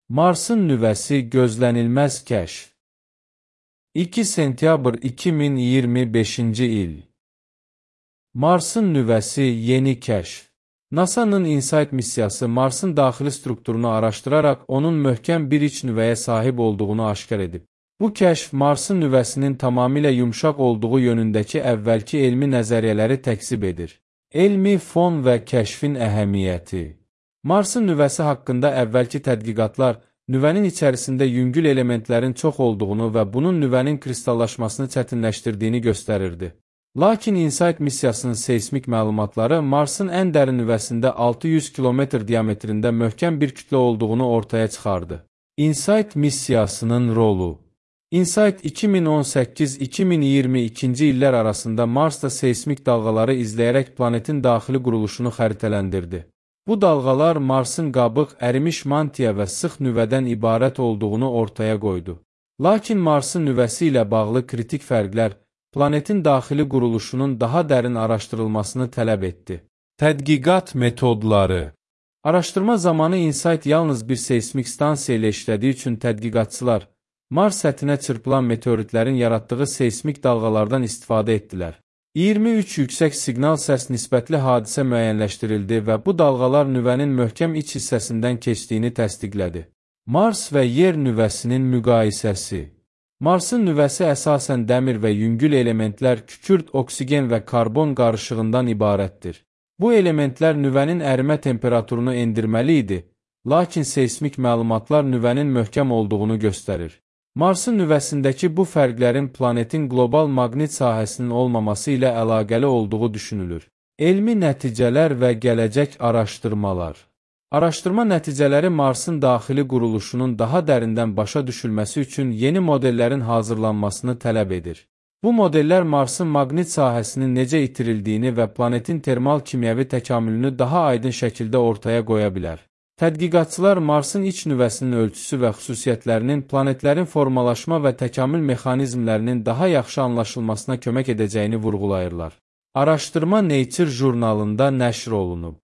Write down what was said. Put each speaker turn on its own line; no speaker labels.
Marsın nüvəsi gözlənilməz kəşf. 2 sentyabr 2025-ci il. Marsın nüvəsi yeni kəşf. NASA-nın InSight missiyası Marsın daxili strukturunu araşdıraraq onun möhkəm bir iç nüvəyə sahib olduğunu aşkar edib. Bu kəşf Marsın nüvəsinin tamamilə yumşaq olduğu yönündəki əvvəlki elmi nəzəriyyələri təkzib edir. Elmi fon və kəşfin əhəmiyyəti. Marsın nüvəsi haqqında əvvəlki tədqiqatlar nüvənin içərisində yüngül elementlərin çox olduğunu və bunun nüvənin kristallaşmasını çətinləşdirdiyini göstərirdi. Lakin InSight missiyasının seysmik məlumatları Marsın ən dərin nüvəsində 600 km diametrində möhkəm bir kütlə olduğunu ortaya çıxardı. InSight missiyasının rolu. InSight 2018-2022-ci illər arasında Marsda seysmik dalğaları izləyərək planetin daxili quruluşunu xəritələndirdi. Bu dalğalar Marsın qabıq, ərimiş mantiya və sıx nüvədən ibarət olduğunu ortaya qoydu. Lakin Marsın nüvəsi ilə bağlı kritik fərqlər planetin daxili quruluşunun daha dərin araşdırılmasını tələb etdi. Tədqiqat metodları. Araşdırma zamanı InSight yalnız bir seysmik stansiya ilə işlədiyi üçün tədqiqatçılar Mars səthinə çırpılan meteoritlərin yaratdığı seysmik dalğalardan istifadə etdilər. 23 yüksək siqnal səs nisbətli hadisə müəyyənləşdirildi və bu dalğalar nüvənin möhkəm iç hissəsindən keçdiyini təsdiqlədi. Mars və yer nüvəsinin müqayisəsi. Marsın nüvəsi əsasən dəmir və yüngül elementlər, kükürt, oksigen və karbon qarışığından ibarətdir. Bu elementlər nüvənin ərimə temperaturunu endirməli idi, lakin seysmik məlumatlar nüvənin möhkəm olduğunu göstərir. Marsın nüvəsindəki bu fərqlərin planetin qlobal maqnit sahəsinin olmaması ilə əlaqəli olduğu düşünülür. Elmi nəticələr və gələcək araşdırmalar. Araşdırma nəticələri Marsın daxili quruluşunun daha dərindən başa düşülməsi üçün yeni modellərin hazırlanmasını tələb edir. Bu modellər Marsın maqnit sahəsinin necə itirildiyini və planetin termal kimyəvi təkamülünü daha aydın şəkildə ortaya qoya bilər. Tədqiqatçılar Marsın iç nüvəsinin ölçüsü və xüsusiyyətlərinin planetlərin formalaşma və təkamül mexanizmlərinin daha yaxşı anlaşılmasına kömək edəcəyini vurğulayırlar. Araşdırma Nature jurnalında nəşr olunub.